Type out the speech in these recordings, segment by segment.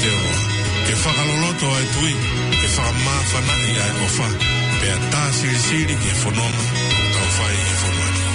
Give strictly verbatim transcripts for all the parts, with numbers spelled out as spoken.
Ke fakaloloto ʻa e tui, ke fakamāfanaʻi ʻa e ʻofa, pea tā silisili ki he fononga ʻoku tau fai ʻi he fonua ni.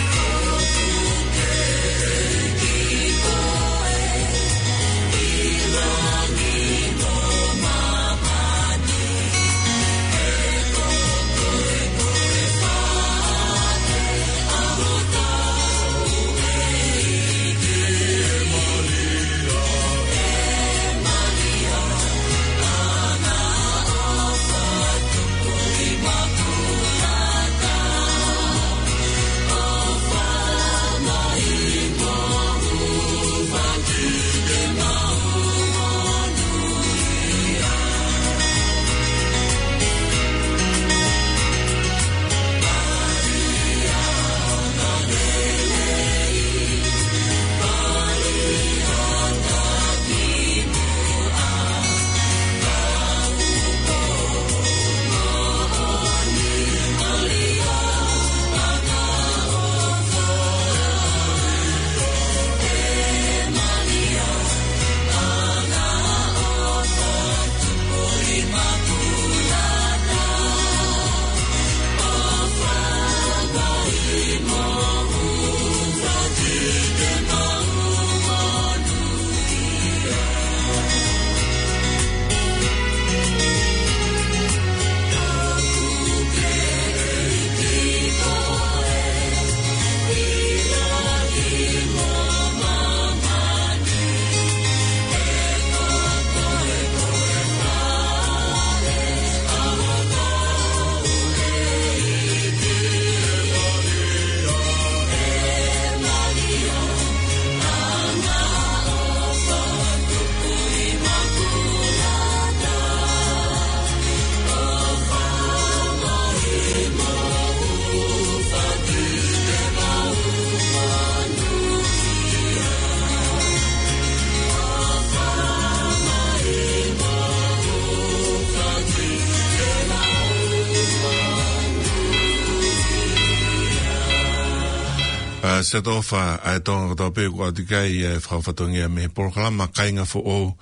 ʻA, Siaosi ʻOfa, ʻa e Tonga kotoa pē ʻoku ʻoatu ki ai ʻa e fakafatongia mei he polokalama Kāinga Foʻou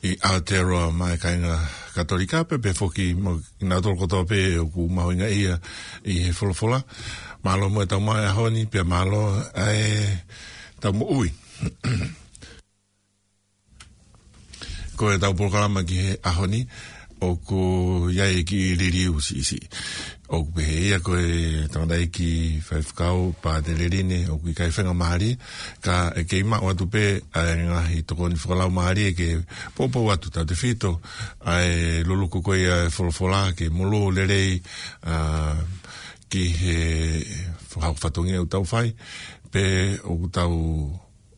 ʻi Aotearoa maʻá e kāinga Katolika pea pehē foki mo kinautolu kotoa pē ʻoku mahuʻingaʻia ʻi he folofola. Mālō muʻa e tau maʻu he ʻaho ni, pea mālō ʻa e tau moʻui. Ko e tau polokalama ki he ʻaho ni, ʻoku ʻi ai e kiʻi liliu siʻisiʻi. ʻOku pehē ʻe ia ko e tangataʻeiki faifekau Pātele Line, ʻoku ʻikai faingamālie, ka ʻe kei maʻu atu pē ʻa e ngaahi tokoni fakalaumālie ke poupou atu tautefito ʻa e luluku ko ia e folofola ke molū lelei, ʻa, ki he fakahoko fatongia ʻoku tau fai, pea ʻoku tau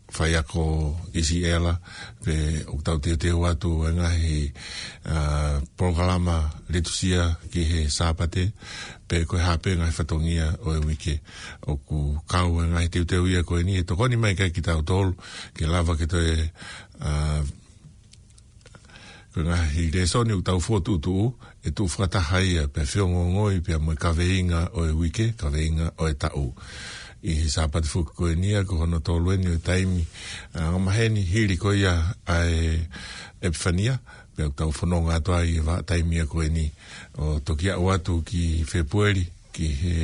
faiako ʻi Siela, pea ʻoku tau teuteu atu e ngaahi, ʻa, polokalama litusia ki he Sāpate, pea ko e hā pē ngaahi fatongia ʻo e uike. ʻOku kau e ngaahi teuteu ia ko eni ʻe tokoni mai ki ai kitautolu, ke lava ke toe, ʻa, ko e ngaahi lēsoni ʻoku tau fokotuʻutuʻu, ʻe tuʻu fakataha ia, pea feongoongoi, pea mo e kaveinga ʻo e uike, kaveinga ʻo e taʻu. ʻI he Sāpate foki ko eni ia, ko hono tolu eni ʻo e taimi, ʻa, angamaheni hili ko ia ʻa e ʻEpifania, pea ʻoku tau fononga atu ai he vahaʻa taimi ia ko eni, ʻo toki aʻu atu ki Fēpueli, ki he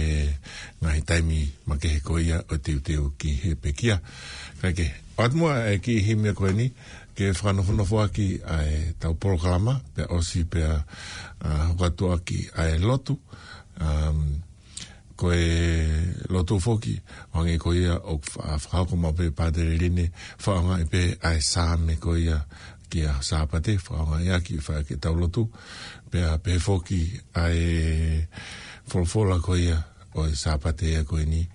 ngaahi taimi makehe ko ia ʻo e teuteu ki he pekia. Kae kehe, ʻoatu muʻa e kiʻi himi ko eni, ke fakanofonofo ʻaki ʻa e tau polokalama, pea ʻosi pea, ʻa, hoko atu ʻaki ʻa e lotu, um, ko e lotu foki, ʻo hangē ko ia ʻoku fa-, fakahoko maʻu pē Pātele Line, fakaʻaongaʻi pē ʻa e Saame ko ia ki he Sāpate, fakaʻaongaʻi ʻaki, fai ʻaki e tau lotu, pea pehē foki ʻa e folofola ko ia ʻo e Sāpate ia ko eni,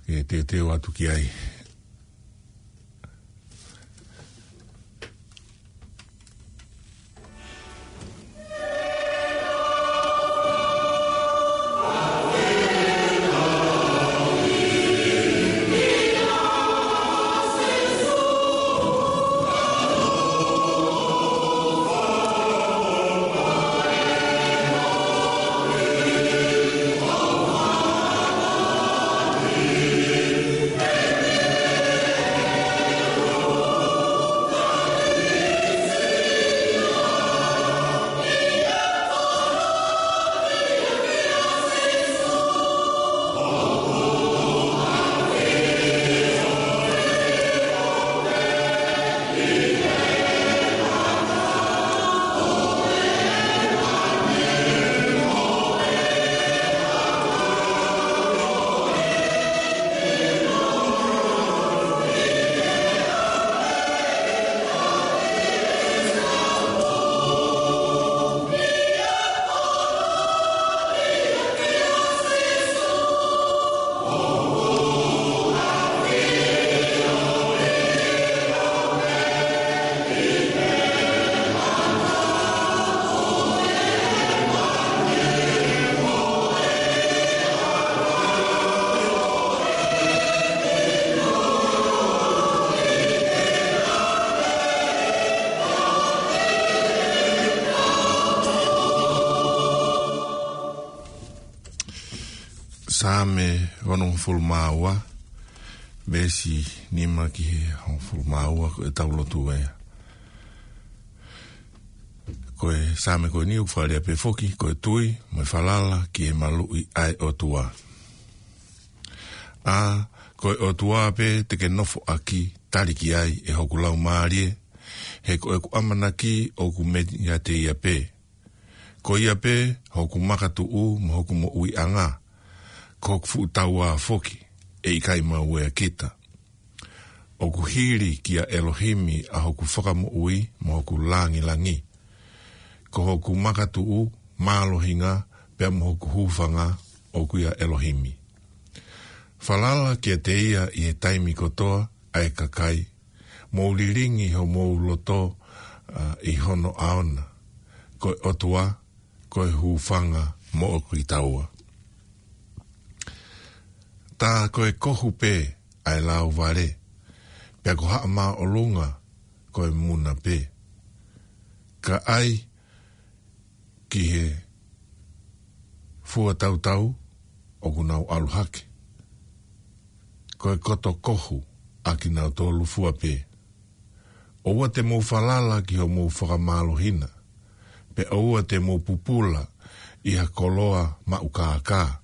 ke teuteu atu ki ai. Saame onongofulu mā ua, veesi nima ki he hongofulu mā ua, ko e tau lotu ē. Ko e Saame ko eni ʻoku fakalea pē foki, ko e tui mo e falala ki he maluʻi ʻa e ʻOtua. ʻA, ko e ʻOtua pē te ke nofo ʻaki, tali ki ai ʻe hoku laumālie, he ko ʻeku ʻamanaki ʻoku meiate ia pē. Ko ia pē hoku makatuʻu mo hoku moʻuiʻanga, ko hoku fuʻu taua foki, ʻe ʻikai mau ea kita. ʻOku hili kia ʻElohimi ʻa hoku fakamoʻui mo hoku langilangi. Ko hoku makatuʻu, mālohinga, pea mo hoku hūfanga, ʻoku ʻia ʻElohimi. Falala kiate ia ʻi he taimi kotoa, ʻa e kakai, mou lilingi homou loto, ʻa, ʻi hono ʻao na. Ko e ʻOtua, ko e hūfanga moʻoku kitaua. Tā ko e kohu pē ʻa e lauvale, pea ko haʻa māʻolunga ko e muna pē. Ka ʻai ki he fua tautau ʻoku nau ʻalu hake. Ko e koto kohu ʻa kinautolu fua pē. ʻOua te mou falala ki hoʻomou fakamālohi na, pea ʻoua te mou pupula ʻi ha koloa maʻu kākā.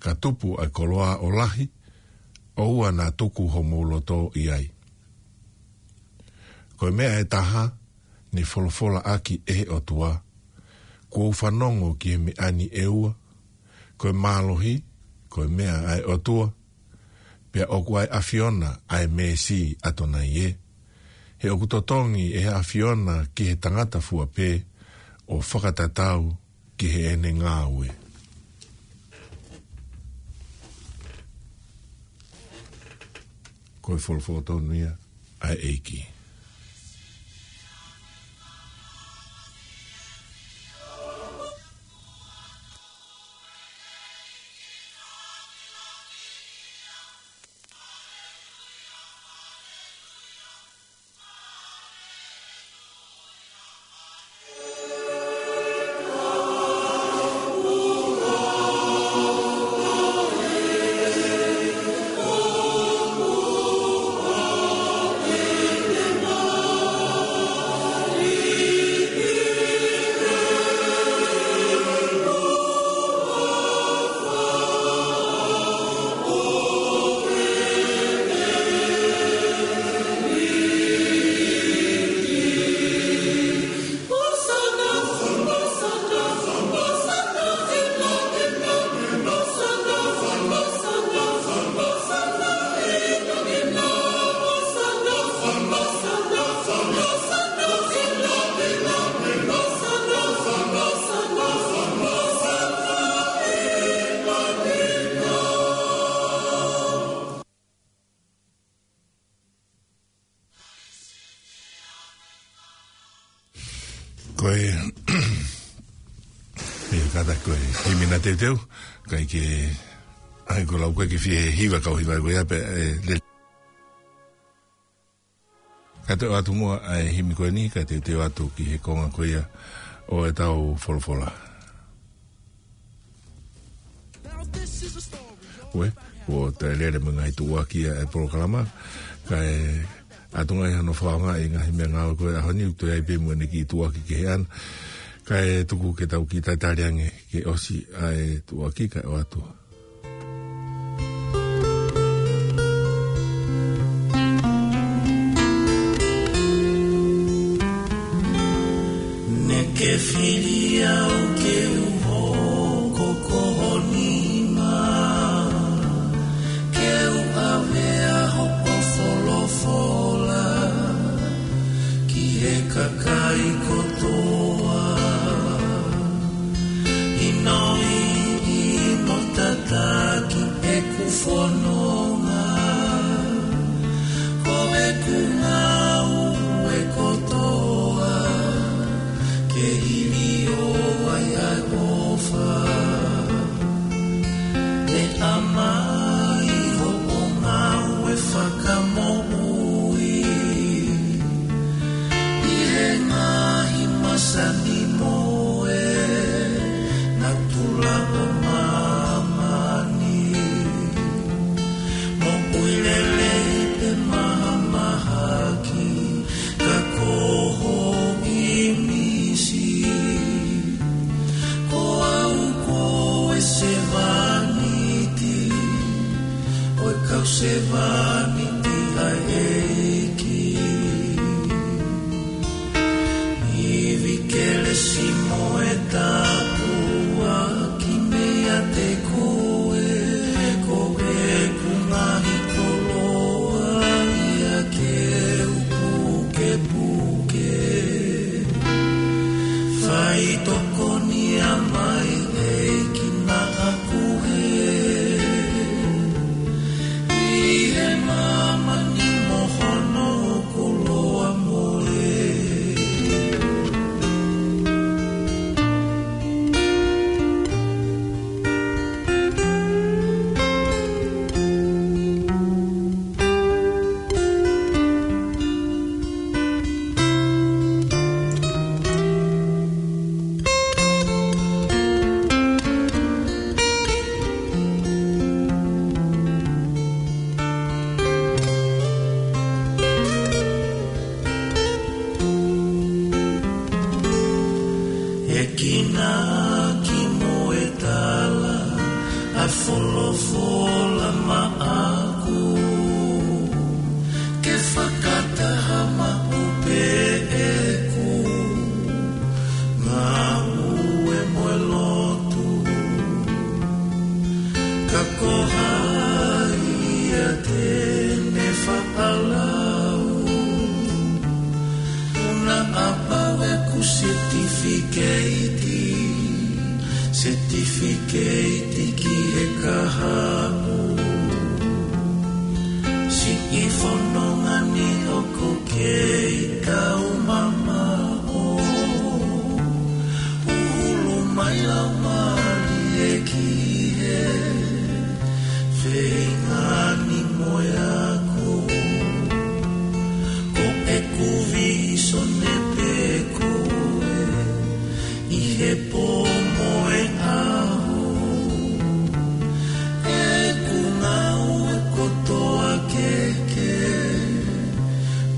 Ka tupu ʻa e koloa ʻo lahi, ʻoua naʻa tuku homou loto ʻi ai. Ko e meʻa ʻe taha, ne folofolaʻaki ʻe he ʻOtua. Kuo u fanongo ki he meʻa ni ʻe ua, ko e mālohi, ko e meʻa ʻa e ʻOtua, pea ʻoku ʻa e ʻAfiona ʻa e meesi ʻa Tonai ē. He ʻoku totongi ʻe he ʻAfiona ki he tangata fua pē ʻo fakatatau ki heʻene ngāue. Ko e folofola tonu ia ʻa e ʻEiki. Ko e, ʻe kata ko e himi na teuteu, kae ke, ʻai ko lau ko e ke fie hiva kau hiva ko ia pē, ʻe, le. Ka te ʻoatu muʻa ʻa e himi ko eni, ka te te ʻoatu ki he konga ko ia ʻo e tau folofola. Ue, ʻo te lele mo e ngaahi tuʻuaki ʻa e polokalama, ka e ʻatu ngai hano faonga ʻi ngaahi meʻa ngāue ko e ʻaho ni, ʻoku toe ʻi ai pē mo ʻene kiʻi tuʻuaki ki he ana, ka e tuku ke tau kiʻi tatali ange ke ʻosi ʻa e tuʻuaki ka e ʻoatu. Naʻa ke fili au ke u hoko ko ho nima, ke u ʻave ʻa hoʻo folofola ki he kakai kotoa. ʻInoiʻi mo tataki ʻeku fononga, ko ʻeku ngāue kotoa, ke hili ʻo ai ʻa e ʻofa. ʻE ʻamai hoʻo ngāue fakamoʻui ʻi he ngaahi masani mo e natula ʻo māmani. Sevāniti ʻa e ʻEiki. Ivi kelesi mo e tāpuaki meiate koe, ko ʻeku ngaahi koloa ia ke u pukepuke. Faitokoni mai ʻEiki naʻa ku hē, ʻi he māmani mo hono koloa mole. ʻEiki naʻa ki mo e tala ʻa e folofola maʻaku, ke fakataha maʻu pē ʻeku ngāue mo e lotu. Ka ko hai ia te ne fakalau, ʻoku na ʻapau ʻeku setifikeiti, setifikeiti ki he kahaʻu. Siʻi fononga ni ʻoku kei taumamaʻo, ʻuhulu mai Laumālie ki he feinga ni mo e ako. Ko ʻeku vīsone pē koe, ʻi he pō mo e ʻaho, ʻeku ngāue kotoa ke ke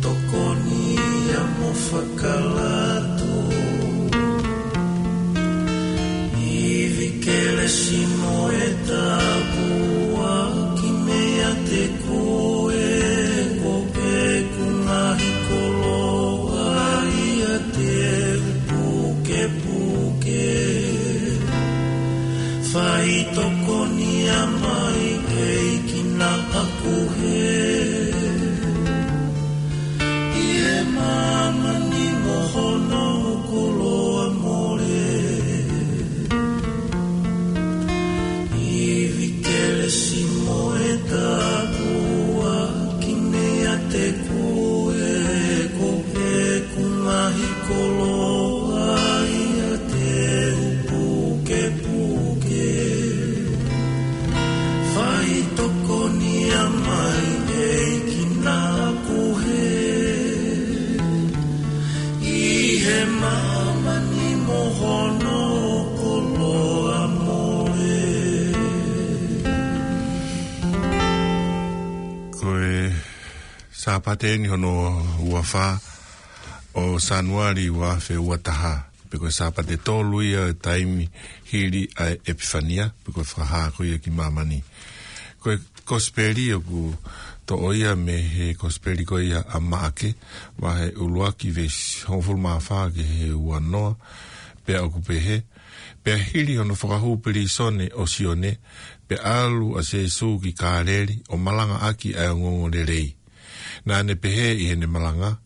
tokoni ia mo fakalato. Ivi kelesi mo e tāpuaki meiate koe, ko ʻeku ngaahi koloa ia te u pukepuke. Faitokoni mai ʻEiki naʻa ku hē, ʻi he māmani mo hono koloa mole. Ivi kelesi mo e tāpuaki meiate koe, ko ʻeku ngaahi koloa ia te u pukepuke. Faitokoni mai ʻEiki naʻa ku hē, ʻi he māmani mo hono koloa mole. Ko e Sāpate ni hono ua fā ʻo Sānuali ua afe ua taha, pea ko e Sāpate tolu ia e taimi hili ʻa e ʻEpifania, pea ko e fakahā ko ia ki māmani. Ko e kosipeli ʻoku toʻo ia mei he kosipeli ko ia ʻa Maʻake, vahe ʻuluaki veesi hongofulu mā fā ki he ua noa, pea ʻoku pehē: Pea hili hono fakahū pilīsone ʻo Sione, pea ʻalu ʻa Sēsū ki Kāleli ʻo malangaʻaki ʻa e ongoongolelei. Naʻa ne pehē ʻi heʻene malanga: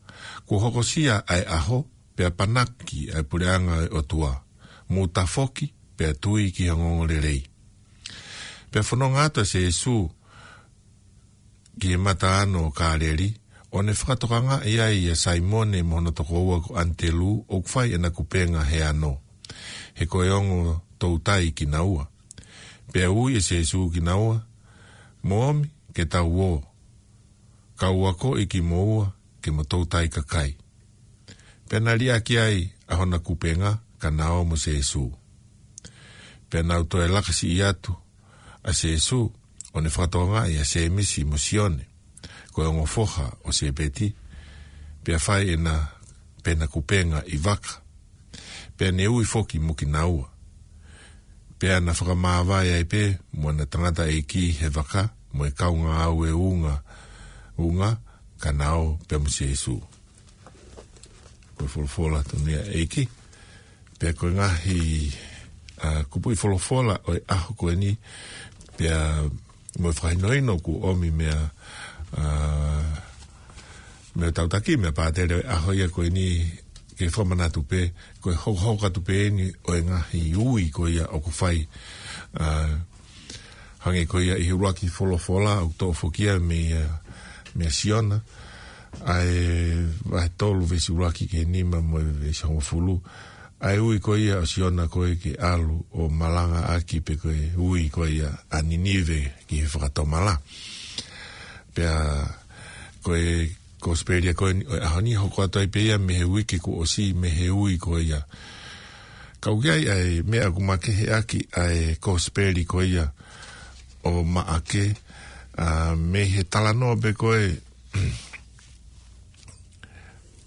Kuo hokosia ʻa e ʻaho, pea panaki ʻa e puleʻanga ʻo e ʻOtua. Mou tafoki, pea tui ki he ongoongolelei. Pea fononga atu ʻa Sēsū ki he mataʻanu ʻo Kāleli, ʻo ne fakatokangaʻi ai ʻa Saimone mo hono tokoua ko ʻAnitelū, ʻoku fai ʻena kupenga he ano, he ko e ongo toutai kinaua. Pea ui ʻe Sēsū kinaua: Mou ōmi ke tau ō, kau akoʻi kimoua ke mo toutai kakai. Pea na liʻaki ai ʻa hona kupenga, ka na ō mo Sēsū. Pea nau toe laka siʻi atu ʻa Sēsū, ʻo ne fakatokangaʻi ʻa Sēmisi mo Sione, ko e ongo foha ʻo Sēpeti, pea fai ʻena pena kupenga ʻi vaka. Pea ne ui foki mo kinaua. Pea na fakamāvae ai pē mo ʻena tangataʻeiki he vaka, mo e kau ngāue unga, unga, ka na ō pē mo Sīsū. Ko e folofola tonu ia ʻa e ʻEiki. Pea ko e ngaahi, ā, kupuʻi folofola ʻo e ʻaho ko eni, pea mo e fakahinohino kuo ʻomi meia, ā, meia Tautaki, meia Pātele ʻo e ʻaho ia ko eni, ke fakamanatu pē, ko e hokohoko atu pē eni ʻo e ngaahi ui ko ia ʻoku fai, ā, hangē ko ia ʻi he ʻuluaki folofola, ʻoku toʻo foki ia meia, meia Siona, ʻa e vahe tolu veesi ʻuluaki ki he nima mo e veesi hongofulu. ʻA e ui ko ia ʻo Siona ko ē ke ʻalu ʻo malangaʻaki pe ko e ui ko ia ʻa Ninive ki he fakatomala. Pea ko e Kosipeli ko eni ʻo e ʻaho ni hoko atu ai pē ia mei he uike kuo ʻosi mei he ui ko ia. Ka ʻoku ʻi ai ʻa e meʻa ʻoku makeheʻaki ʻa e Kosipeli ko ia ʻo Maʻake, ā, mei he talanoa pē ko ē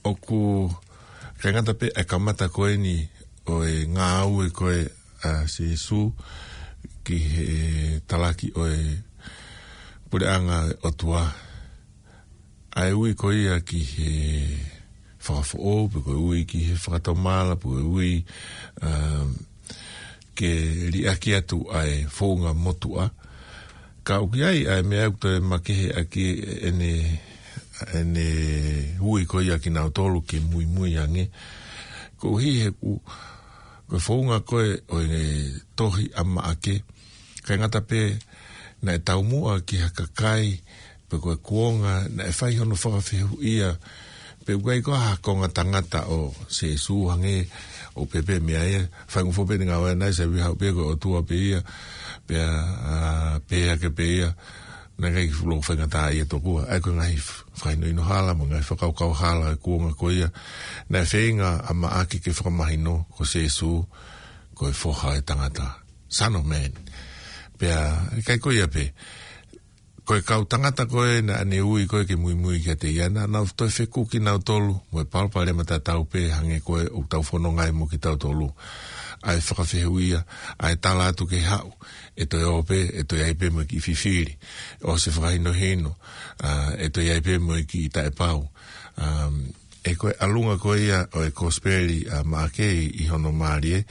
ʻoku ʻikai ngata pē ʻa e kamata ko eni ʻo e ngāue ko ē ʻa Sīsū ki he talaki ʻo e puleʻanga ʻo e ʻOtua. ʻA e ui ko ia ki he fakafoʻou, pe ko e ui ki he fakatomala, pe ko e ui, um, ke liʻaki atu ʻa e founga motuʻa. Ka ʻoku ʻi ai ʻa e meʻa ʻoku toe makeheʻaki ʻene, ʻene ui ko ia kinautolu ke muimui ange. Koeʻuhi he ʻoku, ko e founga ko ē ʻo e tohi ʻa Maʻake, ʻikai ngata pē naʻe taumuʻa ki ha kakai, pe ko e kuonga, naʻe fai hono fakafehuʻia, pe ʻoku ʻi ai koā ha konga tangata ʻo Sīsū hangē ʻoku pehē pē meia ia, faingofua pē ʻene ngāue naʻe sai viha pē ko e ʻOtua pē ia, pea, ā, pehē hake pē ia, naʻe ʻikai ke fuʻu loko faingataʻaʻia tokua, ʻa ia ko e ngaahi fakahinohino hala, mo e ngaahi fakakaukau hala, ʻa e kuonga ko ia, naʻe feinga ʻa Maʻake ke fakamahino ko Sīsū, ko e foha ʻo e tangata. Son of Man. Pea, ʻikai ko ia pē. Ko e kau tangata ko ē naʻa ne ui ko ē ke muimui kiate ia naʻa nau toe fekuki nautolu, mo e palopalema tatau pē hangē ko ē ʻoku tau fononga ai mo kitautolu. ʻA e fakafehuʻia, ʻa e tala atu ke haʻu, ʻe toe ō pē, ʻe toe ʻi ai pē mo e kiʻi fifili. ʻOsi e fakahinohino, ā, ʻe toe ʻi ai pē mo e kiʻi taʻepau. Um, ʻa ia ko e ʻalunga ko ia ʻo e Kosipeli ʻa Maʻake ʻi hono mālie,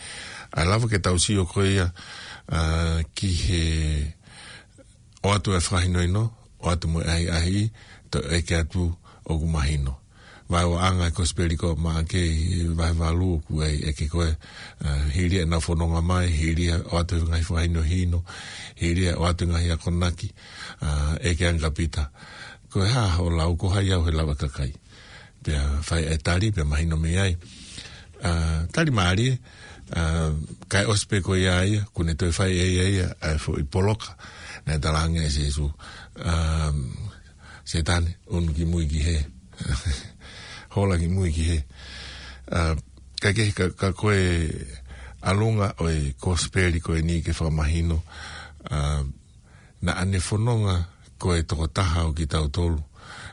ʻa e lava ke tau sio ko ia, ā, ki he ʻoatu e fakahinohino, ʻoatu mo e ʻahiʻahi, toe ʻeke atu ʻoku mahino. Vaeua ʻa e Kosipeli ko ē ʻa Maʻake ʻi he vahe valu ʻoku ʻi ai e ʻeke ko ē, ā, hili ia ʻenau fononga mai, hili ia ʻoatu e ngaahi fakahinohino, hili ia ʻoatu e ngaahi akonaki, ā, ʻeke ange kia Pita. Ko e hā hoʻo lau, ko hai au he lava e kakai. Pea fai e tali, pea mahino mei ai. Ā, tali mālie, ā, kae ʻosi pē ko ia ia, kuo ne toe fai ʻe ia ia, ʻa e foʻi poloka, naʻe talaange ʻe Sīsū. Ā, Sētane, unu ki mui ki hē. Hola ki mui ki hē. Ā, kae kehe ka, ka ko e ʻalunga ʻo e Kosipeli ko eni ke fakamahino, ā, naʻa ne fononga ko e tokotaha ʻo kitautolu.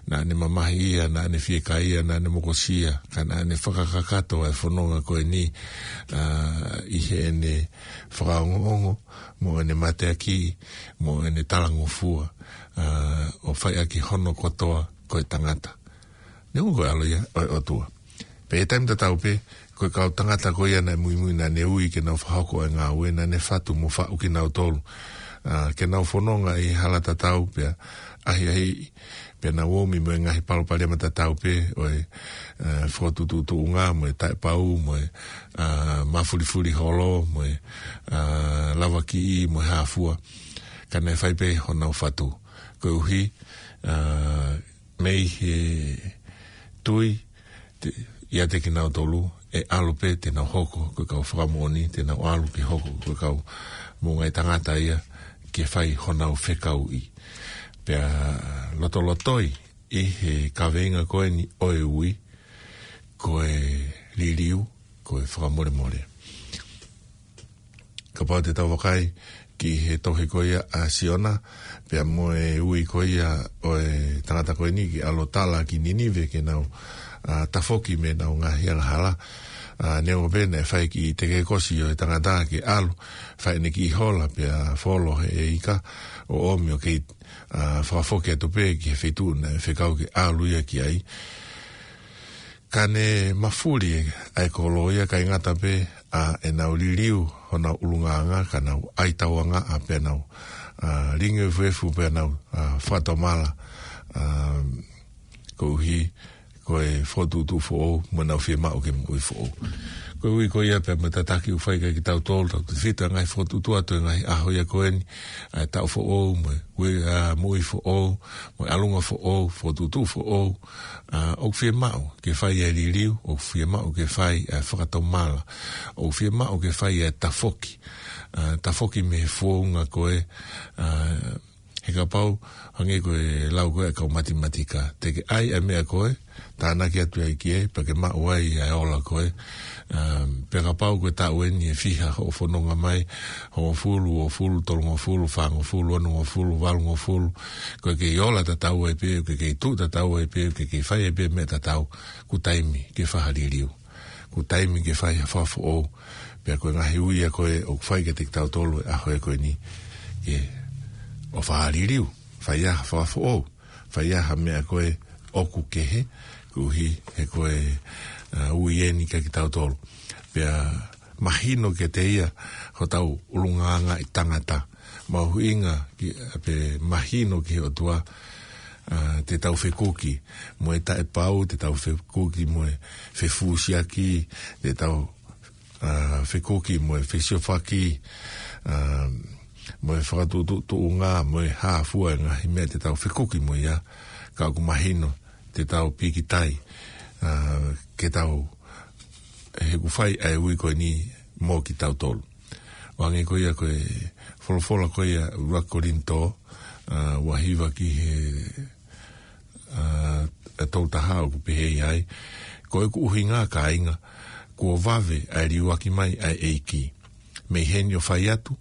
Naʻa ne mamahi ia, naʻa ne fiekaia, naʻa ne mokosia, ka naʻa ne fakakakato e fononga ko eni, ā, ʻi heʻene fakaongoongo, mo ʻene mateakiʻi, mo ʻene talangofua, ā, ʻo fai ʻaki hono kotoa ko e tangata. Neongo ko e ʻAlo ia ʻo e ʻOtua. Pea ʻi he taimi tatau pē, ko e kau tangata ko ia naʻe muimui naʻa ne ui ke nau fakahoko e ngāue, naʻa ne fatu mo faʻu kinautolu. Ā, ke nau fononga ʻi he hala tatau pea ʻahiʻahiʻi, pea nau omi mo e ngaahi palopalema tatau pē, ʻo e, ā, fokotuʻutuʻunga, mo e taʻepau, mo e, ā, mafulifuli holo, mo e, ā, lavakiʻi, mo e hā fua. Ka naʻe fai pē honau fatu. Koeʻuhi, ā, mei he tui, te, ʻiate kinautolu, ʻe ʻalu pē te nau hoko ko e kau fakamoʻoni, te nau ʻalu ke hoko ko e kau moʻungaʻi tangata ia ke fai honau fekauʻi. Pea lotolotoi ʻi he kaveinga ko eni ʻo e ui, ko e liliu, ko e fakamolemole. Kapau te tau vakai ki he tohi ko ia ʻa Siona, pea mo e ui ko ia ʻo e tangata ko eni ke ʻalu ʻo tala ki Ninive ke nau, ā, tafoki mei heʻenau ngaahi angahala. ʻA, neongo pē naʻe fai kiʻi tekekosi ʻo e tangata ke ʻalu, fai ʻene kiʻi hola pea folo he ika ʻo ʻomi ʻo kei, ʻa, fakafoki atu pē ki he feituʻu naʻe fekau ke ʻalu ia ki ai. Ka ne mafuli ʻa e kolo ia, ʻikai ngata pē ʻa ʻenau liliu honau ʻulungaanga, ka nau ʻai tauangaʻa pea nau, ʻa, lingi efuefu pea nau, ʻa, fakatomala, ʻa, koeʻuhi ko e fokotuʻutuʻu foʻou mo ʻenau fiemaʻu ke moʻui foʻou. Koeʻuhi ko ia pea mo e tataki ʻoku fai kiate kitautolu, tautautefito e ngaahi fokotuʻutuʻu atu e ngaahi ʻaho ia ko eni, ʻa e taʻu foʻou, mo e ue, ʻa, moʻui foʻou, mo e ʻalunga foʻou, fokotuʻutuʻu foʻou, ʻa, ʻoku fiemaʻu ke fai e liliu, ʻoku fiemaʻu ke fai e fakatomala, ʻoku fiemaʻu ke fai e tafoki, ʻa, tafoki mei he founga ko ē, ʻa, he kapau, hangē ko e lau ko ē ʻa e kau matematika. Te ke ʻai ʻa e meʻa ko ē, tānaki atu ai ki ai, pea ke maʻu ai ʻa e ola ko ē. Um, pea kapau ko e taʻu eni ʻe fiha hoʻo fononga mai, hongofulu, uofulu, tolungofulu, fāngofulu, onongofulu, valungofulu, ko e kei ola tatau ai pē, ko e kei tuʻu tatau ai pē, ko e kei fai ai pē meʻa tatau, kuo taimi ke fai ha liliu. Kuo taimi ke fai ha fakafoʻou. Pea ko e ngaahi ui ia ko ē ʻoku fai kiate kitautolu he ʻaho ia ko eni. Ke ʻo fai ha liliu, fai ha fakafoʻou, fai ha meʻa ko ē ʻoku kehe, koeʻuhi he ko e, ʻa, ui eni kiate kitautolu. Pea mahino kiate ia hotau ʻulungaanga ʻi tangata. Mahuʻinga ke, pea mahino ki he ʻOtua, ʻa, te tau fekuki mo e taʻepau, te tau fekuki mo e fefusiaki, te tau, ʻa, fekuki mo e fesiofaki, ʻa, mo e fakatuʻutuʻunga, mo e hā fua e ngaahi meʻa te tau fekuki mo ia, ka ʻoku mahino te tau pīkitai, ʻa, ke tau, he ʻoku fai ʻa e ui ko eni mo kitautolu. ʻO hangē ko ia ko e folofola ko ia ʻUluaki Kolinitō, ʻa, ua hiva ki he, ʻa, ʻa, tolu taha ʻoku pehē ai, ko ʻeku ʻuhinga kāinga, kuo vave ʻa e liuaki mai ʻa e ʻEiki. Mei heni ʻo fai atu,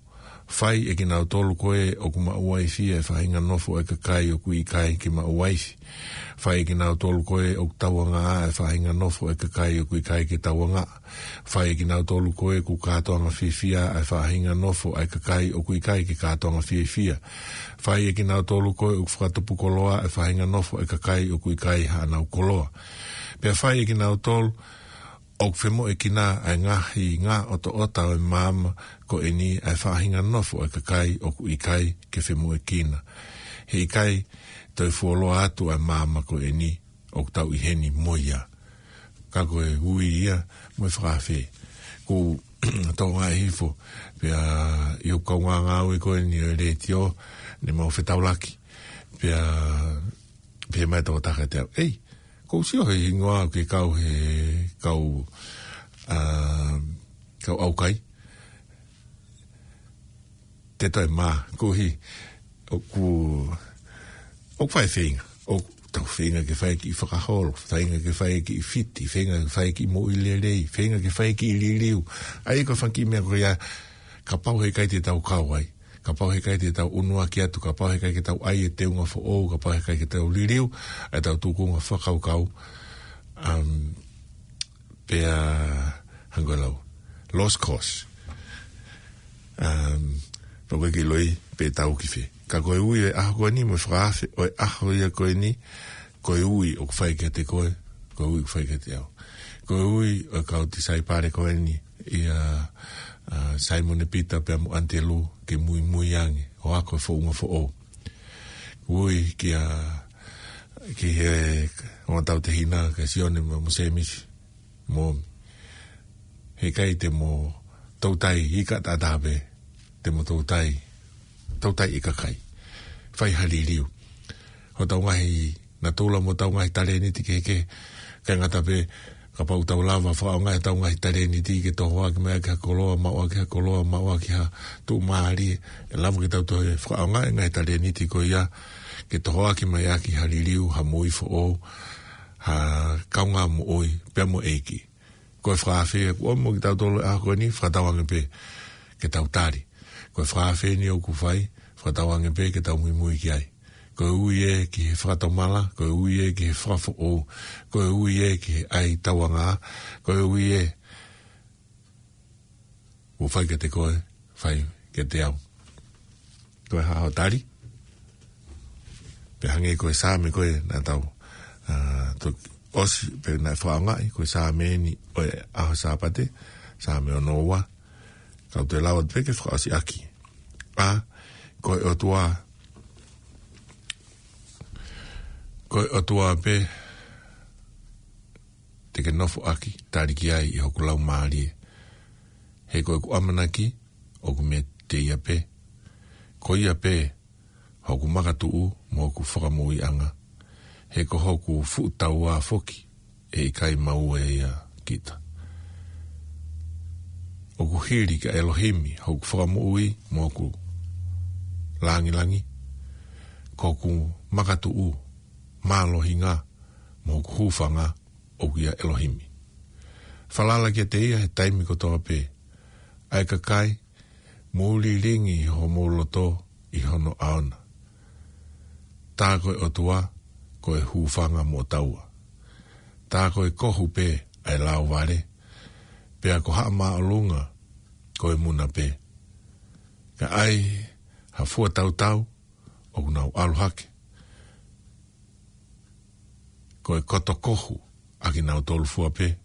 fai ʻe kinautolu ko ē ʻoku maʻu uaifi ʻa e faʻahinga nofo ʻa e kakai ʻoku ʻikai ke maʻu uaifi. Fai ʻe kinautolu ko ē ʻoku tauangaʻa ʻa e faʻahinga nofo ʻa e kakai ʻoku ʻikai ke tauangaʻa. Fai ʻe kinautolu ko ē ʻoku kātoanga fiefia ʻa e faʻahinga nofo ʻa e kakai ʻoku ʻikai ke kātoanga fiefia. Fai ʻe kinautolu ko ē ʻoku fakatupu koloa ʻa e faʻahinga nofo ʻa e kakai ʻoku ʻikai haʻanau koloa. Pea fai ʻe kinautolu ʻoku femoʻuekina ʻa e ngaahi ngaʻotoʻota ʻo e maama ko eni ʻa e faʻahinga nofo ʻa e kakai ʻoku ʻikai ke femoʻuekina. He ʻikai toe fuoloa atu ʻa e maama ko eni ʻoku tau ʻi heni mo ia. Ka ko e ui ia mo e fakaafe. Ko e tōnga e hifo, pea ʻi hoku kaungāngāue ko eni ʻo e letiō, ne mau fetaulaki. Pea, pea mai tō taka te au. Ei, ʻoku ou sio he hingoa ke kau he, kau, ʻa, kau ʻaukai. Te toe mā, koeʻuhi, ʻoku, ʻoku fai feinga. ʻOku tau feinga ke fai kiʻi fakaholo, feinga ke fai kiʻi fiti, feinga ke fai kiʻi moʻui lelei, feinga ke fai kiʻi liliu. ʻA ia ko e fanga kiʻi meʻa ko ia, kapau heʻikai te tau kau ai. Kapau heʻikai te tau ʻunuaki atu, kapau heʻikai ke tau ʻai e teunga foʻou, kapau heʻikai ke tau liliu ʻa e tau tukunga fakakaukau. Um, pea hangē ko e lau, lost cause. Um, pea ʻoku ʻikai ke ʻiloʻi pe tau ki fē. Ka ko e ui ʻo e ʻaho ko eni, mo e fakaafe ʻo e ʻaho ia ko eni, ko e ui ʻoku fai kiate koe, ko e ui ʻoku fai kiate au. Ko e ui ʻo e kau tisaipale ko eni, ʻia, ʻa, Saimone Pita pea mo ʻAnitelū ke muimui ange, ʻo ako e founga foʻou. Ui kia, ki he ongo tautehina, kia Sione mo, mo Sēmisi. Mo, heʻikai te mo toutai ika taʻataha pē, te mo toutai, toutai ika kai. Fai ha liliu. Hotau ngaahi natula mo hotau ngaahi talēniti kehekehe, ʻikai ngata pē, kapau ʻoku tau lava fakaʻaongaʻi hotau ngaahi talēniti ke tohoaki mai ʻaki ha koloa, maʻu ʻaki ha koloa, maʻu ʻaki ha tuʻumālie, ʻe lava ke tau toe fakaʻaongaʻi e ngaahi talēniti ko ia, ke tohoaki mai ʻaki ha liliu, ha moʻui foʻou, ha kaungā moʻui, pea mo e ʻEiki. Ko e fakaafe ʻoku ʻomi mo kitautolu he ʻaho ko eni, fakatauange pē ke tau tali. Ko e fakaafe eni ʻoku fai, fakatauange pē ke tau muimui ki ai. Ko e ui ē ki he fakatomala, ko e ui ē ki he fakafoʻou, ko e ui ē ki he ʻai tauangaʻa, ko e ui ē ʻOku fai kiate koe, fai kiate au. Ko e hā hoʻo tali? Pea hangē ko e Saame ko ē naʻa tau, ā, toki ʻosi pē naʻe fakaʻaongaʻi, ko e Saame eni ʻo e ʻaho Sāpate, Saame ono ua, kau toe lau atu pē ke fakaʻosi ʻaki. ʻA, ko e ʻOtua, ko e ʻOtua pē te ke nofo ʻaki, tali ki ai ʻi hoku laumālie. He ko ʻeku ʻamanaki, ʻoku meiate ia pē. Ko ia pē, hoku makatuʻu mo hoku fakamoʻuiʻanga. He ko hoku fuʻu taua foki, ʻe ʻikai maua ia kita. ʻOku hili kia ʻElohimi, hoku fakamoʻui mo hoku langilangi. Ko hoku makatuʻu, mālohinga, mo hoku hūfanga, ʻoku ʻia ʻElohimi. Falala kiate ia he taimi kotoa pē. ʻA e kakai, mou lilingi homou loto ʻi hono ʻao na. Tā ko e ʻOtua, ko e hūfanga mo taua. Tā ko e kohu pē ʻa e lauvale, pea ko Haʻa Māʻolunga, ko e muna pē. Ka ʻai ha fua tautau, ʻoku nau ʻalu hake. Ko e koto kohu ʻa kinautolu fua pē.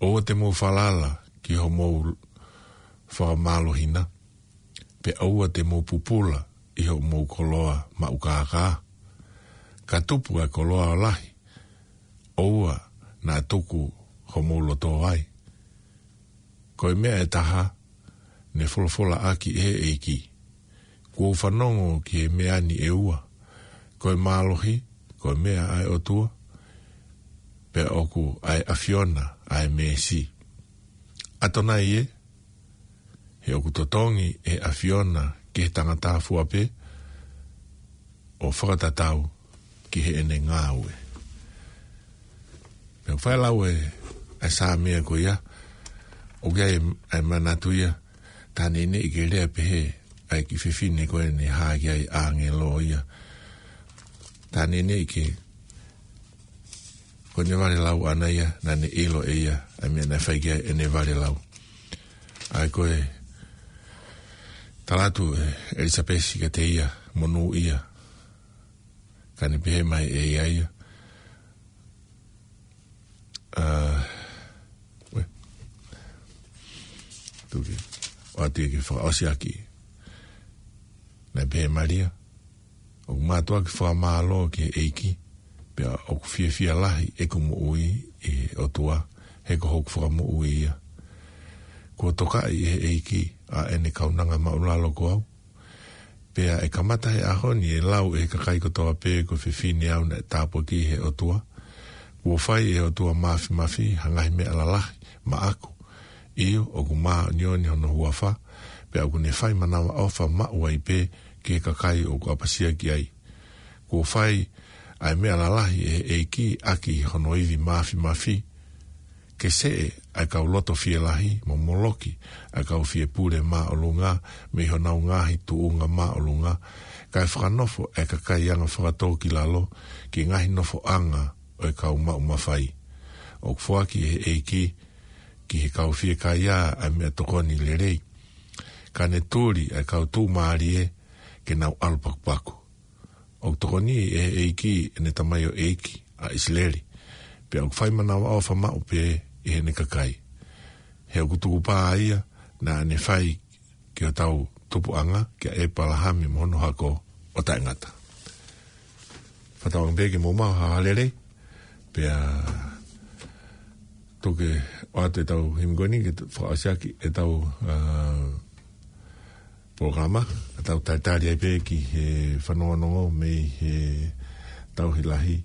ʻOua te mou falala ki hoʻomou fakamālohi na, pea ʻoua te mou pupula ʻi hoʻomou koloa maʻu kākā. Ka tupu ʻa e koloa lahi, ʻoua naʻa tuku homou loto ai. Ko e meʻa ʻe taha, ne folofola ʻaki ʻe he ʻEiki. Kuo u fanongo ki he meʻa ni ʻe ua. Ko e mālohi, ko e meʻa ʻa e ʻOtua, pea ʻoku ʻa e ʻAfiona ʻa e meesi. ʻAtonai ē, he ʻoku totongi ʻe he ʻAfiona ki he tangata fua pē, ʻo fakatatau ki heʻene ngāue. Pea fai lau ē, ʻa e Saame ko ia, ʻoku ʻi ai ʻa e manatu ia, tā neʻineʻi ke lea pehē ʻa e kiʻi fefine ko ē ne hā ki ai ʻāngelo ia. Tā neʻineʻi ke, ko ʻene vale lau ʻana ia, naʻa ne ʻilo ʻe ia ʻa e meʻa naʻe fai ki ai ʻene vale lau. ʻA ia ko e tala atu ʻe ʻElisapesi kiate ia, monūʻia. Ka ne pehē mai ʻe ia ia. ʻA, ue. Tuki. ʻOatu ia ke fakaʻosi ʻaki. Naʻe pehē ʻe Malia, ʻoku mātuʻaki fakamālō ki he ʻEiki, pea ʻoku fiefia lahi ʻeku moʻui ʻi he ʻOtua, he ko hoku fakamoʻui ia. Kuo tokaʻi ʻe he ʻEiki ʻa ʻene kaunanga māʻulalo ko au. Pea ʻe kamata he ʻaho ni ʻe lau ʻe he kakai kotoa pē ko e fefine au naʻe tāpuakiʻi ʻe he ʻOtua. Kuo fai ʻe he ʻOtua Māfimafi ha ngaahi meʻa lalahi maʻaku. ʻIo, ʻoku māʻoniʻoni hono huafa, pea ʻoku ne fai manavaʻofa maʻu ai pē ki he kakai ʻoku ʻapasia ki ai. Kuo fai ʻa e meʻa lalahi ʻe he ʻEiki ʻaki hono ivi māfimafi. Ke seʻe ʻa e kau loto fielahi mo moloki ʻa e kau fiepule māʻolunga mei honau ngaahi tuʻunga māʻolunga, kae fakanofo ʻa e kakai anga fakatōkilalo ki he ngaahi nofoʻanga ʻo e kau maʻu mafai. ʻOku foaki ʻe he ʻEiki ki he kau fiekaia ʻa e meʻatokoni lelei. Ka ne tuli ʻa e kau tuʻumālie ke nau ʻalu pakupaku. ʻOku tokoniʻi ʻe he ʻEiki ʻene tamaioʻeiki ʻa ʻIsileli. Pea ʻoku fai manavaʻofa maʻu pē ʻi heʻene kakai. He ʻoku tukupā ia naʻa ne fai ki hotau tupuʻanga, kia ʻEpalahame mo hono hako ʻo taʻengata. Fakatauange pē ke mou maʻu ha lelei, pea tuku ke ʻoatu ʻetau himi ko eni ke fakaʻosi ʻaki ʻetau, ā, polokalama, ʻetau talitali ai pē ki he fanongonongo mei he tauhi lahi.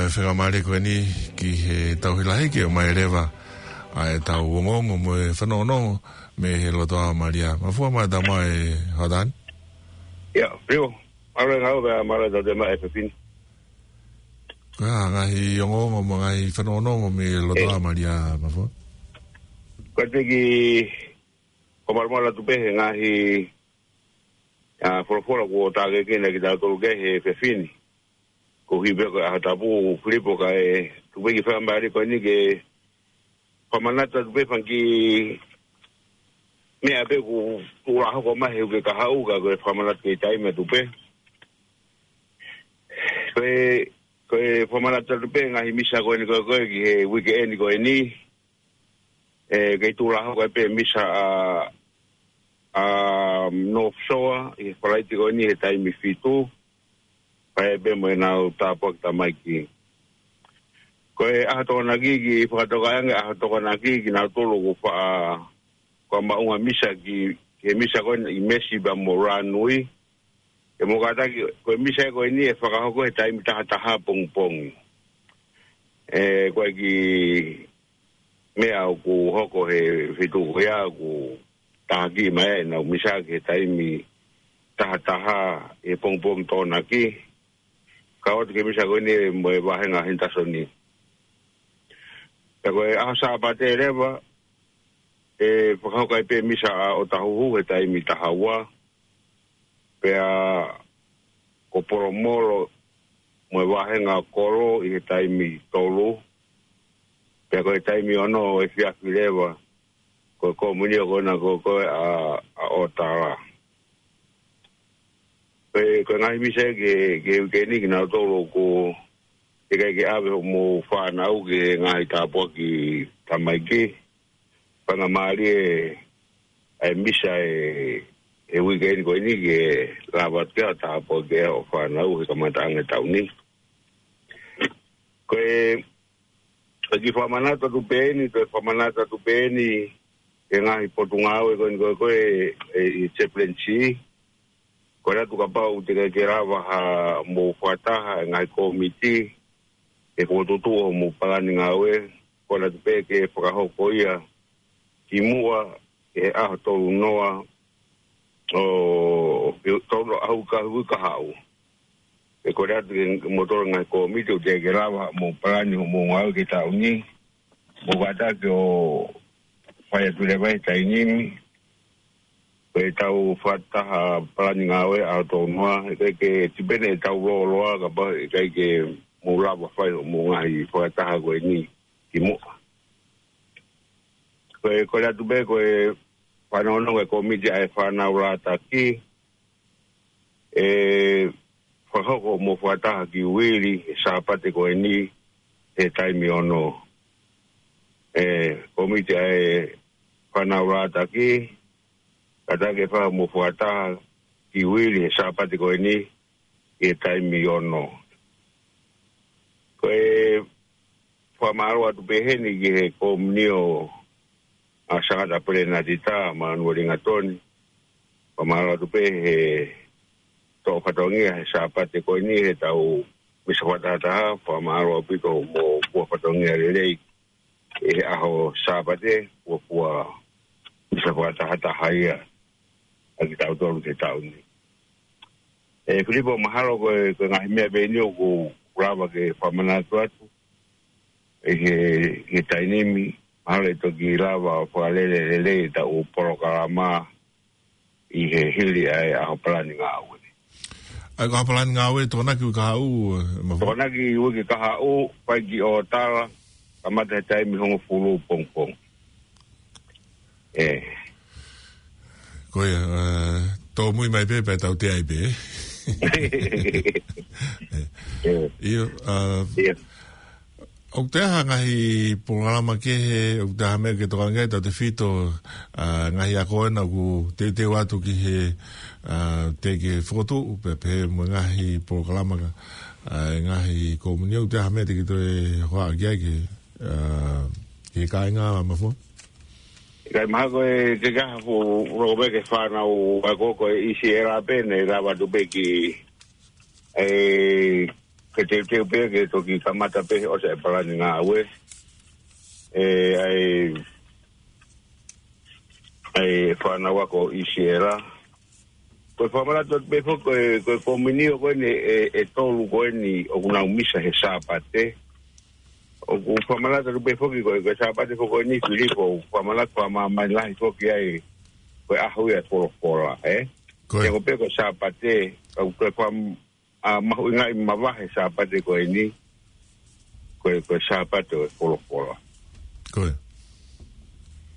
Faingamālie ko eni ki he tauhi lahi ke ʻomai leva ʻa e tau ongoongo mo e fanongonongo mei he lotoʻā Malia. Mafua mai ʻa e tama e Hotani. ʻIa, Filipo, mālō e ngāue, mālō e tau te mai e fefine. Ko e hā ngaahi ongoongo mo e ngaahi fanongonongo mei he lotoʻā Malia, Mafua? Ko e teki, ko e malumalu atu pē he ngaahi, ʻa, folofola kuo tākekina kitautolu ki ai he fefine. Ko e hā pē ko e ʻaho tapu, Filipo, kae tuku pē ke fakamālō ko eni ke fakamanatu atu pē fanga kiʻi meʻa pē kuo tuʻu ʻo hoko mai he uike kahaʻu, ka ko e fakamanatu ki he taimi atu pē. Ko e, ko e fakamanatu atu pē ngaahi misa ko eni ko ē, ko ē ki he uike eni ko eni. ʻE, kei tuʻu ʻo hoko ai pē misa ʻa, ʻa North Shore ʻi he Falaite ko eni he taimi fitu. Pea pehē mo ʻenau tāpuaki tamaiki. Ko e ʻaho Tokonaki, kiʻi fakatokangaʻi ange ʻaho Tokonaki kinautolu kuo fa-, kuo maʻu ha misa ki, ki he misa ko eni ʻi Mesi pea mo Ranui. ʻE, mou kātaki, ko e misa ko eni ʻe fakahoko he taimi taha taha pongipongi. ʻE, ko e kiʻi meʻa ʻoku hoko he feituʻu ko ia ʻoku tākiekina mai ai ʻenau misa ki he taimi taha taha he pongipongi Tokonaki. Kau atu ki he misa ko eni mo e vāhenga Henderson. Pea ko e ʻaho Sāpate leva, ʻe fakahoko ai pē misa ʻa ʻOtahuhu he taimi taha ua. Pea ko Polomolo mo e vāhenga Kolo ʻi he taimi tolu. Pea ko e taimi ono ʻo e efiafi leva, ko e komunio ko ena ko, ko ē ʻa, ʻa ʻOtala. Ko e, ko e ngaahi misa ki he, ki he uike ni kinautolu ʻoku teʻeki ai ke ʻave hoʻomou fānau ki he ngaahi tāpuaki tamaiki. Faingamālie ʻa e misa ʻe, ʻe uike ni ko eni ke lava atu ke ʻa tāpuaki ʻa e fānau he kamataʻanga e taʻu ni. Ko e, ko e kiʻi fakamanatu atu pē eni, ko e fakamanatu atu pē eni, ki he ngaahi potungāue ko eni ko ē, ko ē, ʻe, ʻi Chaplaincy. Ko e ʻatu kapau teʻeki ke lava ha mou fakataha e ngaahi kōmiti, ʻe fokotuʻutuʻu hoʻomou palani ngāue, ko e ʻatu pē ke fakahoko ia kimuʻa he ʻaho tolu noa ʻo, ʻi he tolu ʻaho ka hui kahaʻu. ʻE ko e ʻatu ke mou tolo ngaahi kōmiti ʻoku teʻeki ke lava hoʻomou palani hoʻomou ngāue ki he taʻu ni, mou kātaki ʻo fai atu leva he taimi ni, ko e tau fakataha palani ngāue ʻaho tolu noa, ʻe ʻikai ke tipene ʻetau lōloa, kapau ʻe ʻikai ke mou lava fai hoʻomou ngaahi fakataha ko eni kimuʻa. Ko e, ko e ʻatu pē, ko e fanongonongo e kōmiti ʻa e fānau Lātaki, ʻe fakahoko hoʻomou fakataha ki Uili he Sāpate ko eni he taimi ono. ʻE, kōmiti ʻa e fānau Lātaki, kātaki ʻo fai hoʻomou fakataha ki Uili he Sāpate ko eni he taimi ono. Ko e fakamālō atu pē heni ki he komunio ʻa Sangata Pelenatita, Manueli Ngatoni. Fakamālō atu pē he toʻo fatongia he Sāpate ko eni he tau misa fakatahataha, fakamālō ʻaupito mo e fua fatongia lelei he ʻaho Sāpate, fua fua misa fakatahataha ia ʻa kitautolu ki he taʻu ni. ʻE Filipo, mahalo ko e, ko e ngaahi meʻa pē eni ʻoku lava ke fakamanatu atu ʻi he, he taimi ni, mahalo ʻe toki lava fakalele lelei ʻetau polokalama ʻi he hili ʻa e ʻaho palani ngāue. ʻA e ʻaho palani ngāue, Tokonaki uike kahaʻu, ʻe, Mafua? Tokonaki uike kahaʻu, fai ki ʻOtala, kamata he taimi hongofulu pongipongi. ʻE. Ko ia, ʻe, tōmui mai pē, pea tau teʻeki ai pē. ʻE. ʻE. ʻIo, ʻa, ʻIo. ʻOku ʻi ai ha ngaahi polokalama kehe, ʻoku ʻi ai ha meʻa ke tokanga ki ai, tautefito, ʻa, ngaahi ako ena ʻoku teuteu atu ki he, ʻa, teʻeki ke fokotuʻu, pea pehē mo e ngaahi polokalama ka, ʻa, ngaahi komunio, ʻoku ʻi ai ha meʻa te ke toe hohaʻa ki ai ki he, ʻa, ki he kāinga, Mafua? ʻIkai, mahalo ko e ke kaha fu, roko pē ki he fānau ako ko e ʻi Sierra pē, ʻe lava atu pē ki, ʻe, ke teuteu pē ke toki kamata pē ʻosi e palani ngāue. ʻE, ʻa e, ʻa e fānau ako ʻi Sierra. Ko e fakamanatu atu pē foki ko e, ko e komiunitī ko eni ʻe, ʻe tolu ko eni ʻoku nau misa he Sāpate. ʻOku fakamanatu atu pē foki ko e, ko e Sāpate foki ko eni Filipo, ʻoku fakamanatu fakamāmani lahi foki ai ko e ʻaho ia e folofola, ē? Ko e. He ko pē ko e Sāpate, ʻoku ko e fam-, ʻa, mahuʻingaʻi mavahe Sāpate ko eni, ko e, ko e Sāpate ʻo e folofola. Ko e.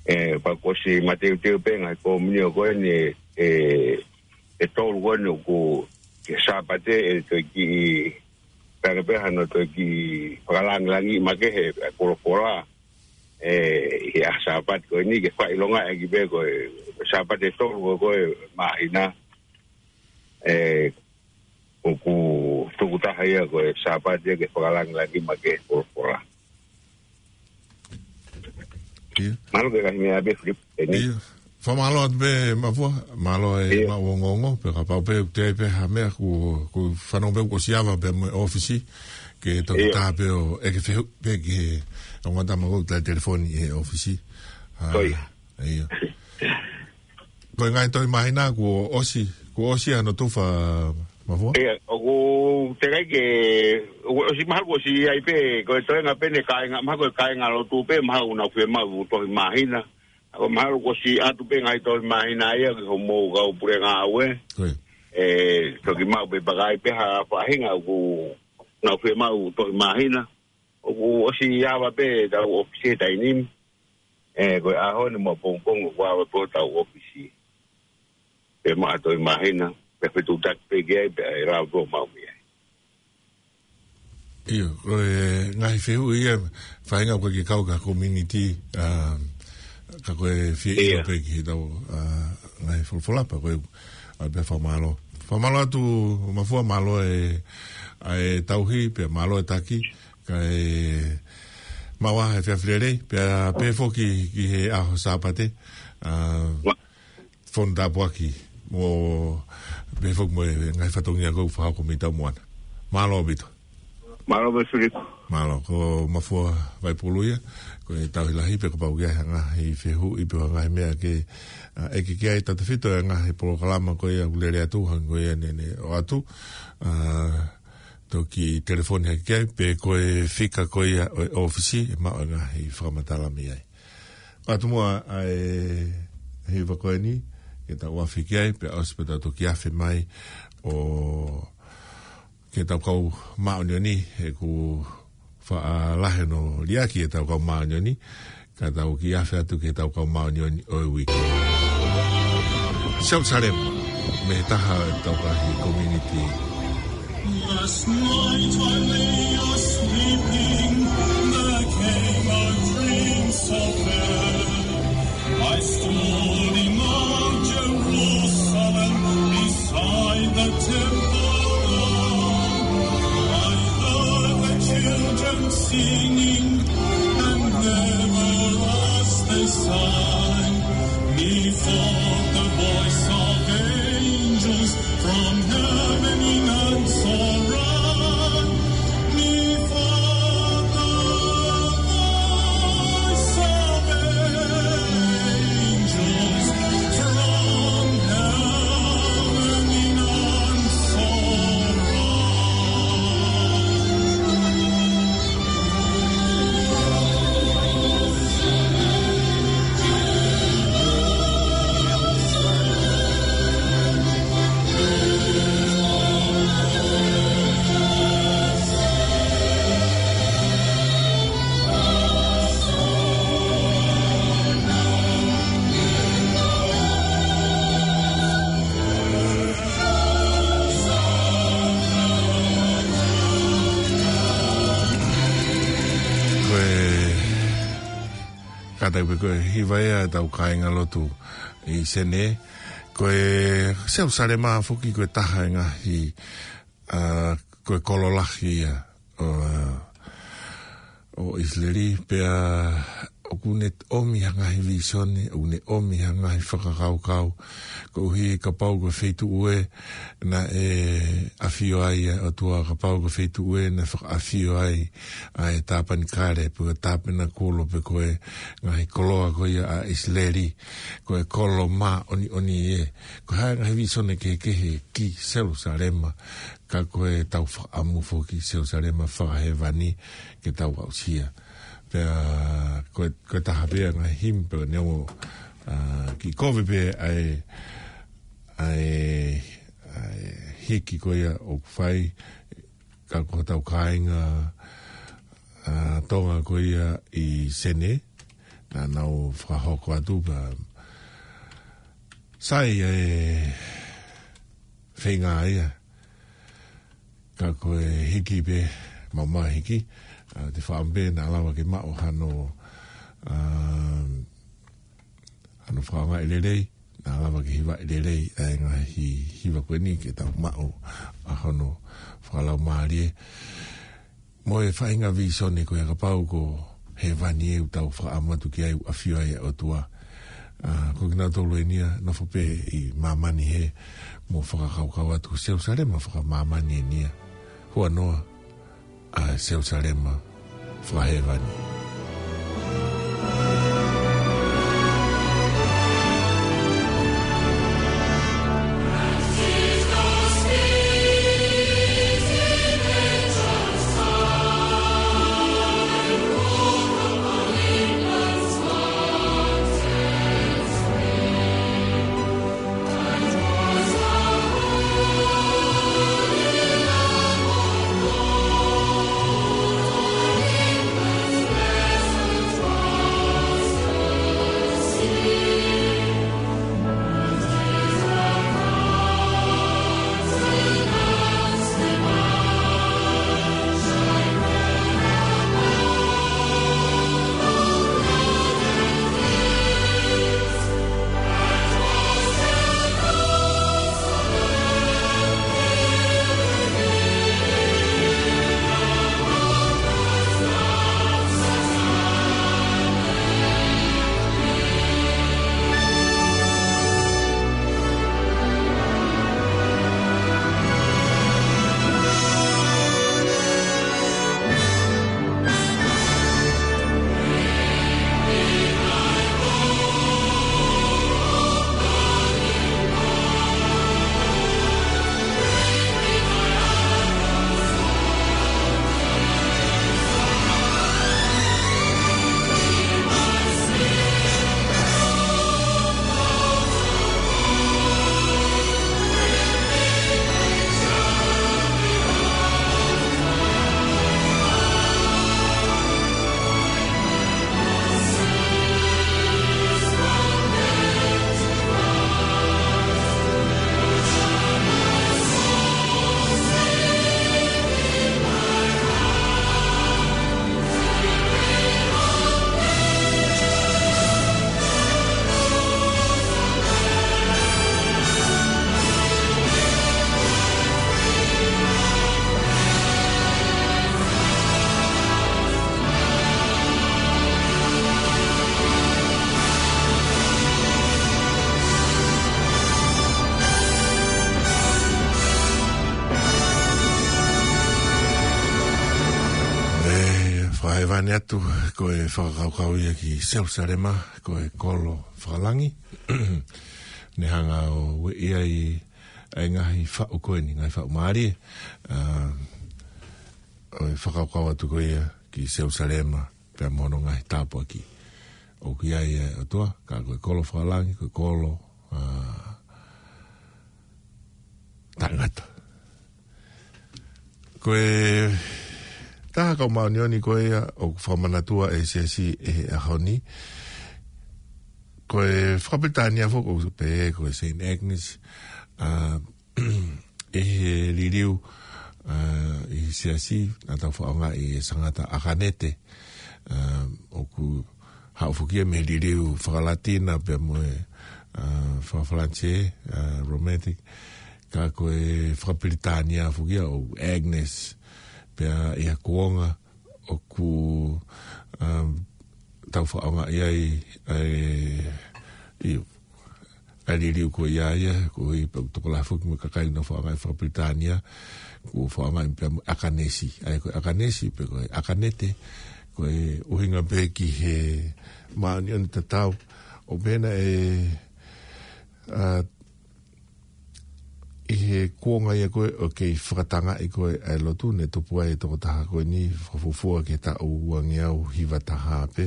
ʻE, pea kuo ʻosi mateuteu pē ngaahi komiunitī ko eni, ʻe, ʻe tolu ko eni ʻoku ke Sāpate ʻe toe kiʻi, pea pē hano toe kiʻi fakalāngilangiʻi makehe e folofola. ʻE, ʻi he ʻaho Sāpate ko eni ke fakaʻilongaʻi ʻaki pē ko e, ko e Sāpate ʻe tolu ko e, ko e māhina. ʻE, ʻoku tukutaha ia ko e Sāpate ke fakalāngilangiʻi makehe e folofola. ʻIo. Mālō ke ngaahi meʻa pē Filipo, eni. ʻIo. Fakamālō atu pē Mafua, mālō e, ʻio, maʻu ongoongo, pea kapau pē ʻoku ʻi ai pē ha meʻa ʻoku, ʻoku fanongo pē ʻoku ʻosi ava pē mo e ʻōfisi, ke toki, ʻio, tā pē ʻo ʻeke fehuʻi pē ki he ongo tama ko e telefoni he ʻōfisi. ʻA, ko ia. ʻIo. Ko e ngaahi tohi māhina kuo ʻosi, kuo ʻosi hano tufa Mafua? ʻIo, ʻoku teʻeki ai ke, ʻoku ʻosi mahalo kuo ʻosi ʻi ai pē, ko e toenga pē ʻene kāinga, mahalo ko e kāingalotu pē, mahalo ʻoku nau fiemaʻu tohi māhina. ʻOku mahalo kuo ʻosi ʻatu pē ngaahi tohi māhina ia ki hoʻomou kau pule ngāue. Ko ia. ʻE, toki maʻu pē pe ʻoku ʻi ai pē ha faʻahinga ʻoku nau fiemaʻu tohi māhina. ʻOku ʻosi ava pē ʻetau ʻōfisi he taimi ni. ʻE, ko e ʻaho ni mo e pongipongi ʻoku ava pē hotau ʻōfisi. Pea maʻu ha tohi māhina, pea fetuʻutaki pē ki ai, pea ʻe lava pē ʻo maʻu mei ai. ʻIo, ko e ngaahi fehuʻi ia, faʻahinga ʻoku ʻikai ke kau ki ha komiunitī, ʻa, ka ko e fie, ʻio, ʻilo pē ki heʻetau, ʻa, ngaahi folofola pea ko e, ʻa, pea fakamālō. Fakamālō atu Mafua, mālō e, ʻa e tauhi, pea mālō e taki, kae maʻu ā e efiafi lelei, pea pehē foki ki he ʻaho Sāpate, ʻa, fonu tāpuaki, mo pehē foki mo e ngaahi fatongia ʻoku fakahoko mei taumuʻa na. Mālō ʻaupito. Mālō pē Filipo. Mālō, ko Mafua Vaipulu ia, ko e tauhi lahi pea kapau ʻoku ʻi ai ha ngaahi fehuʻi pe ha ngaahi meʻa ke, ʻa, ʻeke ki ai tautefito e ngaahi polokalama ko ia ʻoku lele atu, hangē ko ia naʻe, naʻe ʻoatu, ʻa, toki telefoni hake ki ai, pe ko e fika ko ia ʻo e ʻōfisi, ʻe maʻu e ngaahi fakamatala mei ai. ʻOatu muʻa ʻa e hiva ko eni, ke tau afe ki ai, pea ʻosi pea tau toki afe mai ʻo ke tau kau māʻoniʻoni, he ʻoku faʻa lahi hono liʻaki ʻetau kau māʻoniʻoni, ka tau kiʻi afe atu ki heʻetau kau māʻoniʻoni ʻo e uike. Jerusalem, mei he taha ʻetau ngaahi komiunitī. Last night I lay a sleeping, there came a dream so fair. I stood in Mount Jerusalem, beside the temple. I heard the children singing, and there were, as they sang, methought the voice of angels from heaven in answer rang. Methought the voice of angels from heaven in answer rang. Ko e kātaki pē ko e hiva ia ʻetau kāingalotu ʻi Senē. Ko e Selusalema foki ko e taha e ngaahi, ʻa, ko e kolo lahi ia ʻo, ʻo ʻIsileli, pea ʻoku ne ʻomi ha ngaahi vīsone, ʻoku ne ʻomi ha ngaahi fakakaukau, koeʻuhi kapau ko e feituʻu ē naʻe ʻafio ai ʻa e ʻOtua, kapau ko e feituʻu ē naʻe fakaʻafio ai ʻa e tāpanikale, pe ko e tāpanekulu, pe ko e ngaahi koloa ko ia ʻa ʻIsileli, ko e kolo māʻoniʻoni ē. Ko e hā e ngaahi vīsone kehekehe ki Selusalema, ka ko ʻetau fakaʻamu foki ki Selusalema fakahēvani ke tau aʻusia. Pea ko e, ko e taha pē ia e ngaahi himi pē neongo, ā, kiʻi kovi pē ʻa e, ʻa e, ʻa e hiki ko ia ʻoku fai, ka ko hotau kāinga, ā, Tonga ko ia ʻi Senē, naʻa nau fakahoko atu pea sai ʻa e feinga ia. Ka ko e hiki pē, maumau hiki, ā, te faʻa pē naʻa lava ke maʻu hano, ā, hano fakaʻaongaʻi lelei, naʻa lava ke hivaʻi lelei ʻa e ngaahi hiva ko eni ke tau maʻu ʻa hono fakalaumālie. Mo e faʻahinga vīsone ko ia kapau ko hēvani ē ʻoku tau fakaʻamu atu ki ai ʻoku ʻafio ai ʻa e ʻOtua. Ā, ko kinautolu eni ia nofo pē ʻi māmani hē mo fakakaukau atu ko Selusalema fakamāmani eni ia. Huanoa ʻa Selusalema fakahēvani. ʻE, fakahēvani atu, ko e fakakaukau ia ki Selusalema, ko e kolo fakalangi. Ne hanga ʻo ueʻi ai ʻa e ngaahi faʻu ko eni, ngaahi faʻu mālie, ā, ʻo e fakakaukau atu ko ia ki Selusalema, pea mo hono ngaahi tāpuaki. ʻOku ʻi ai ʻa e ʻOtua, ka ko e kolo fakalangi, ko e kolo, ā, taʻengata. Ko e taha kau māʻoniʻoni ko ia ʻoku fakamanatua ʻe he siasi ʻi he ʻaho ni. Ko e faka-Pilitānia foki ʻoku pehē ko e Saint Agnes, ā, ʻi he liliu, ā, ʻi he siasi, naʻa tau fakaʻaongaʻi ʻe Sangata ʻAkanete, ā, ʻoku haʻu foki ia mei he liliu faka-Latina pea mo e, ā, faka-Falanisē, ā, Romantic, ka ko e faka-Pilitānia foki ia ʻo Agnes, pea ʻi he kuonga ʻoku, ā, tau faʻaongaʻi ai, ʻa e, ʻio, ʻa e liliu ko ia ia, ko e pau tokolahi foki mo e kakai ʻoku nau faʻaongaʻi faka-Pilitānia, ko e faʻaongaʻi pea mo e ʻakanesi, ʻa e ko e ʻakanesi pe ko e ʻakanete, ko e ʻuhinga pē ki he māʻoniʻoni tatau, ʻo pehē naʻe, ʻa, ʻi he kuonga ia ko ē ʻoku kei fakatangaʻi ko ē ʻa e lotu, ne tupu ai e tokotaha ko eni fakafuofua ki he taʻu uangeau hiva taha pē.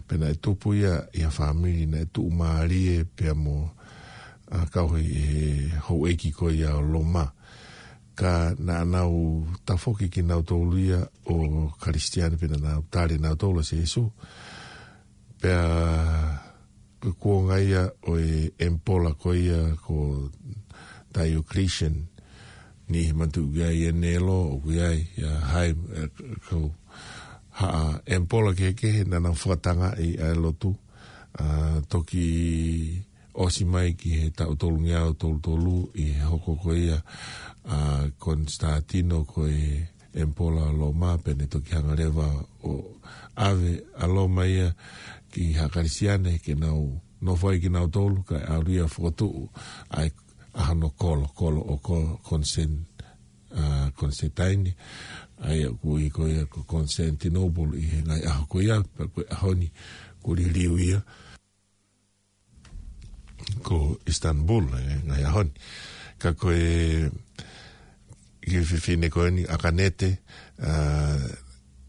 Pea naʻe tupu ia ʻi ha fāmili naʻe tuʻumālie pea mo, ʻa, kau he, he houʻeiki ko ia ʻo Loma. Ka naʻa nau tafoki kinautolu ia ʻo Kalisitiane pea naʻa nau tali nautolu ʻa Sīsū. Pea ko e kuonga ia ʻo e ʻemipola ko ia ko Diocletian, niʻihi manatuʻi ʻoku ʻi ai e Nelo, ʻoku ʻi ai ʻa hai, ʻe, ko ha ʻemipola kehekehe naʻa nau fakatangaʻi ʻa e lotu, ʻa, toki ʻosi mai ki he taʻu tolungeau tolu tolu ʻi he hoko ko ia ʻa Konisitantino ko e ʻemipola Loma, pea ne toki hanga leva ʻo ʻave ʻa Loma ia ki ha Kalisitiane ke nau nofo ai kinautolu, kae ʻalu ia ʻo fokotuʻu ai ʻa hono kolo, kolo ʻo ko-, Konsen-, ʻa, Konisitaini, ʻa ia ʻoku ui ko ia ko Constantinople ʻi he ngaahi ʻaho ko ia, pea ko e ʻaho ni ʻoku liliu ia ko Istanbul, ʻi he ngaahi ʻaho ni. Ka ko e kiʻi fefine ko eni ʻAkanete, ʻa,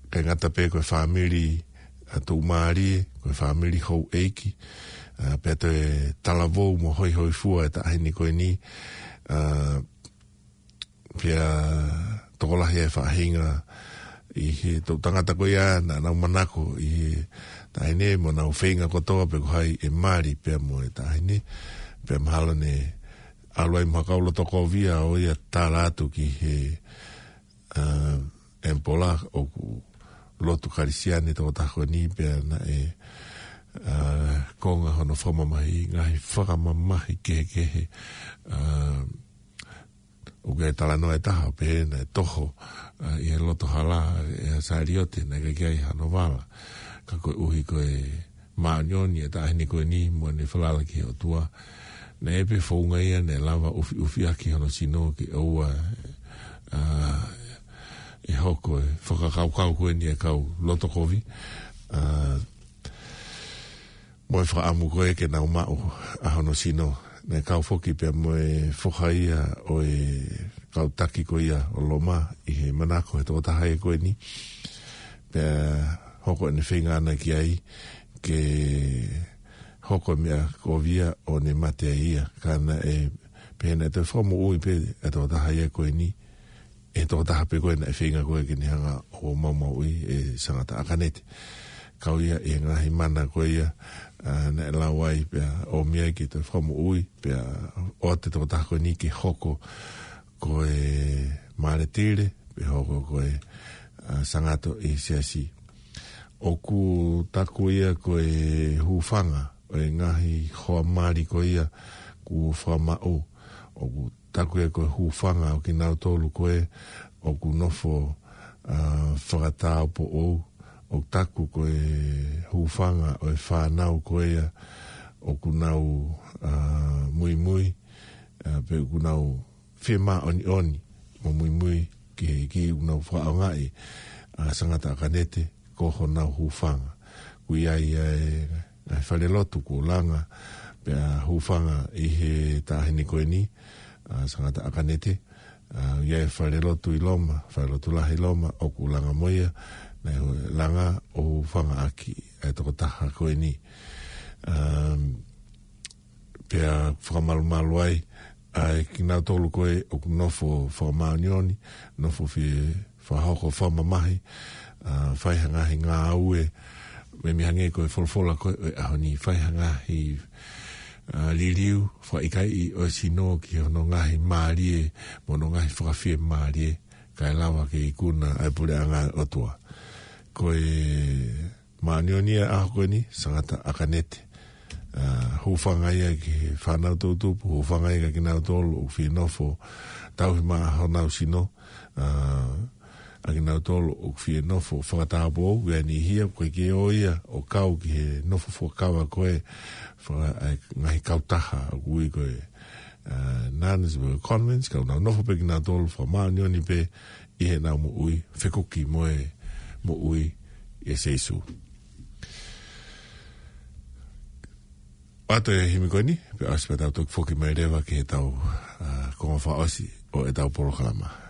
ʻikai ngata pē ko e fāmili, ʻa, tuʻumālie, ko e fāmili houʻeiki, ʻa, pea toe talavou mo hoihoifua e taʻahine ko eni, ʻa, pea tokolahi e faʻahinga ʻi he toʻu tangata ko ia naʻa nau manako ʻi he taʻahine mo nau feinga kotoa pe ko hai ʻe mali pea mo e taʻahine, pea mahalo ne ʻalu ai mo ha kau loto kovi ʻo ia tala atu ki he, ʻa, ʻemipola ʻoku lotu Kalisitiane tokotaha ko eni pea naʻe, ʻa, konga hono fakamamahi, ngaahi fakamamahi kehekehe, ʻa, ʻoku ʻi ai e talanoa ʻe taha, pehē naʻe toho, ʻa, ʻi he loto hala ʻe ha saliote, naʻe ʻikai ke ʻi ai hano vala. Ka koeʻuhi ko e māʻoniʻoni e taʻahine ko eni mo ʻene falala ki he ʻOtua, naʻe ʻi ai pē founga ia naʻe lava ʻufiʻufi ʻaki hono sino ke ʻoua, ʻa, ʻe hoko e fakakaukau ko eni ʻa e kau loto kovi, ʻa, mo e fakaʻamu ko ē ke nau maʻu ʻa hono sino. Naʻe kau foki pea mo e foha ia ʻo e kau taki ko ia ʻo Loma ʻi he manako he tokotaha ia ko eni. Pea hoko ʻene feinga ʻana ki ai ke hoko e meʻa kovi ia ʻo ne mate ai ia. Ka naʻe pehē naʻe toe fakamoʻui pē ʻa e tokotaha ia ko eni, ʻe he tokotaha pē ko ē naʻe feinga ko ē ke ne hanga ʻo maumauʻi e Sangata ʻAkanete. Kau ia ʻi he ngaahi mana ko ia, ʻa, naʻe lau ai pea ʻomi ai ke toe fakamoʻui, pea ʻoatu e tokotaha ko eni ke hoko ko e māletile, pe hoko ko e, ʻa, sangato ʻi he siasi. ʻOku taku ia ko e hūfanga ʻo e ngaahi hoa mali ko ia kuo fakamaʻu. ʻOku taku ia ko e hūfanga ʻo kinautolu ko ē ʻoku nofo, ʻa, fakatāupoʻou. ʻOku taku ko e hūfanga ʻo e fānau ko ia ʻoku nau, ʻa, muimui, ʻa, pe ʻoku nau fiemāʻoniʻoni mo muimui ki he ʻEiki, ʻoku nau fakaʻaongaʻi ʻa Sangata ʻAkanete ko honau hūfanga. ʻOku ʻi ai ʻa e, ʻa e falelotu kuo langa pea hūfanga ʻi he taʻahine ko eni, ʻa Sangata ʻAkanete, ʻa, ʻi ai e falelotu ʻi Loma, falelotu lahi ʻi Loma, ʻoku langa mo ia, naʻe langa ʻo hūfanga ʻaki ʻa e tokotaha ko eni. Um, pea fakamalumalu ai ʻa e kinautolu ko ē ʻoku nofo fakamāʻoniʻoni, nofo fie fakahoko fakamamahi, ʻa, fai ha ngaahi ngāue, meimei hangē ko e folofola ko ē ʻo e ʻaho ni, fai ha ngaahi, ʻa, liliu fakaʻikaiʻi ʻo e sino ki hono ngaahi mālie mo hono ngaahi fakafiemālie, kae lava ke ikuna ʻa e puleʻanga ʻo e ʻOtua. Ko e māʻoniʻoni ia ʻaho ko eni, Sangata ʻAkanete. ʻA, hūfanga ia ki he fānau toʻutupu, hūfanga ia kia kinautolu ʻoku fie nofo tauhi maʻa honau sino, ʻa, ʻa kinautolu ʻoku fie nofo fakatāupoʻou, ʻa e niʻihi ia ʻoku ʻikai ke ō ia ʻo kau ki he nofo fuakava ko ē, faka-, ʻa e ngaahi kautaha ʻoku ui ko e, ā, Nuns Convents, ka ʻoku nau nofo pē kinautolu fakamāʻoniʻoni pē ʻi heʻenau moʻui fekuki mo e moʻui ʻia Sīsū. ʻOatu e himi ko eni, pea ʻosi pea tau toki foki mai leva ki heʻetau, ā, konga fakaʻosi ʻo ʻetau polokalama.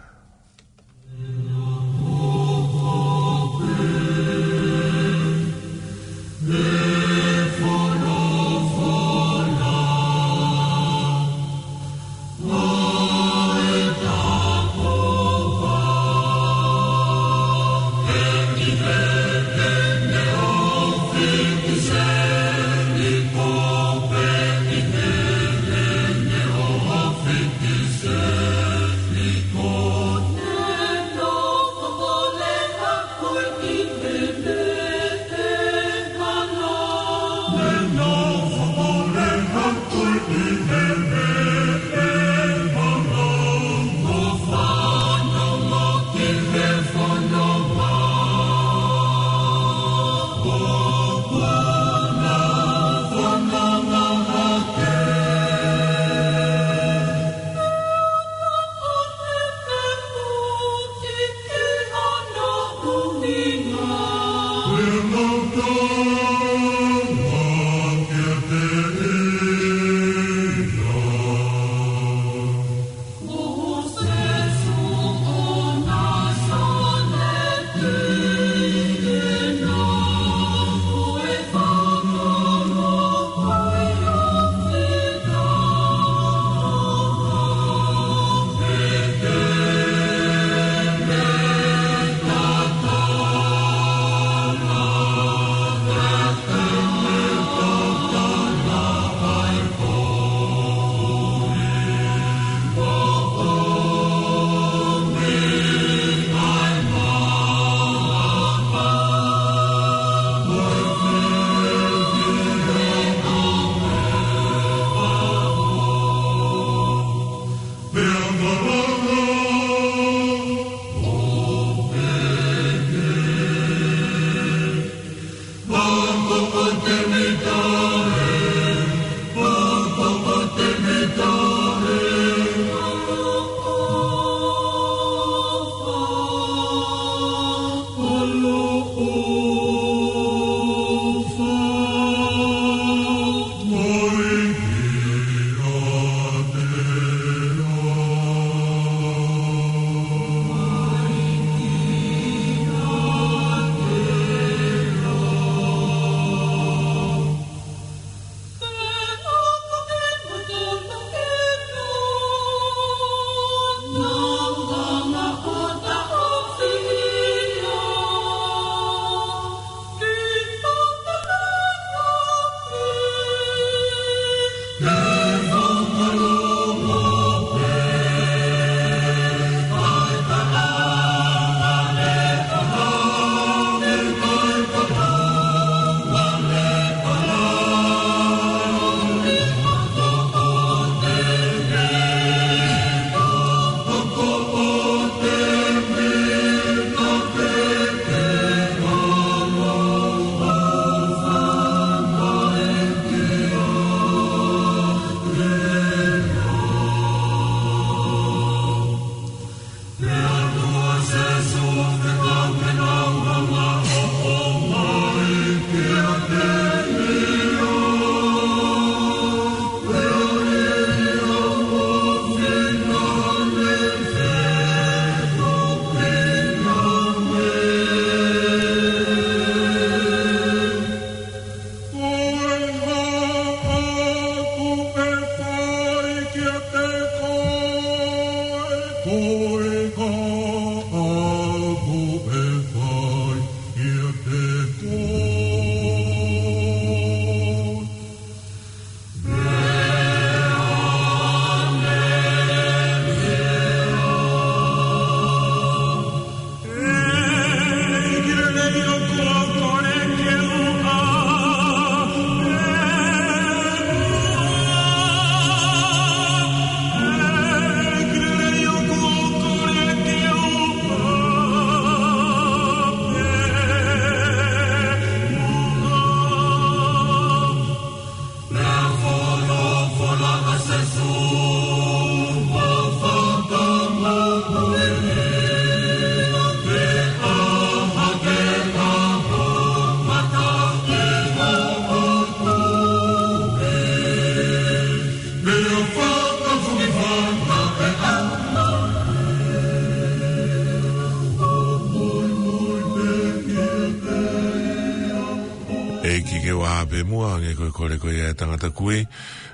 Kiʻi kei ua pē muʻa, hangē ko e kole ko ia ʻa e tangata kui,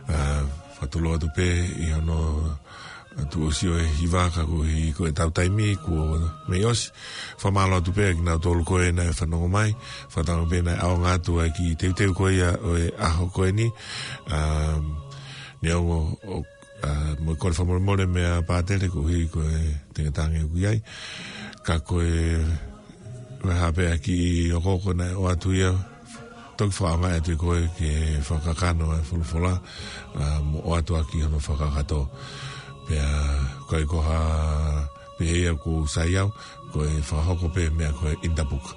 ʻa, fakatulou atu pē ʻi hono tuʻusi ʻo e hiva ka koeʻuhi ko ʻetau taimi kuo mei ʻosi. Fakamālō atu pē kinautolu ko ē naʻe fanongo mai, fakatauange pē naʻe ʻaonga atu ʻa e kiʻi teuteu ko ia ʻo e ʻaho ko eni, ʻa, neongo ʻo ʻa, mo e kole fakamolemole meia Pātele koeʻuhi ko e tenga tange ʻoku ʻi ai. Ka ko e, ko e hā pē ʻa e kiʻi okooko naʻe ʻoatu ia, toki fakaʻaongaʻi atu ʻe koe ke fakakakano ʻa e folofola, ʻa, mo ʻoatu ʻaki hono fakakakato. Pea, ʻikai ko ha pehē ia ʻoku sai au, ko e fakahoko pē meʻa ko ē ʻi he puka.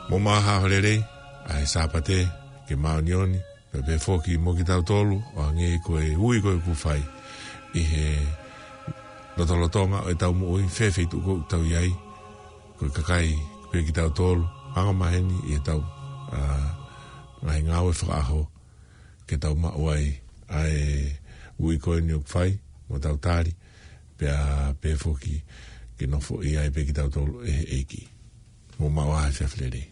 Mou maʻu ha ʻaho lelei, ʻa e Sāpate, ke māʻoniʻoni, pea pehē foki mo kitautolu, ʻo hangē ko e ui ko ē ʻoku fai ʻi he lotolotonga ʻo ʻetau moʻui, fēfē ʻi he tuʻu ko ē ʻoku tau ʻi ai, ko e kakai pē kitautolu, anga maheni ʻi heʻetau, ʻa, ngaahi ngāue fakaʻaho, ke tau maʻu ai ʻa e ui ko eni ʻoku fai, mo tau tali, pea pehē foki ke nofoʻia ai pē kitautolu ʻe he ʻEiki. Mou maʻu ha efiafi lelei.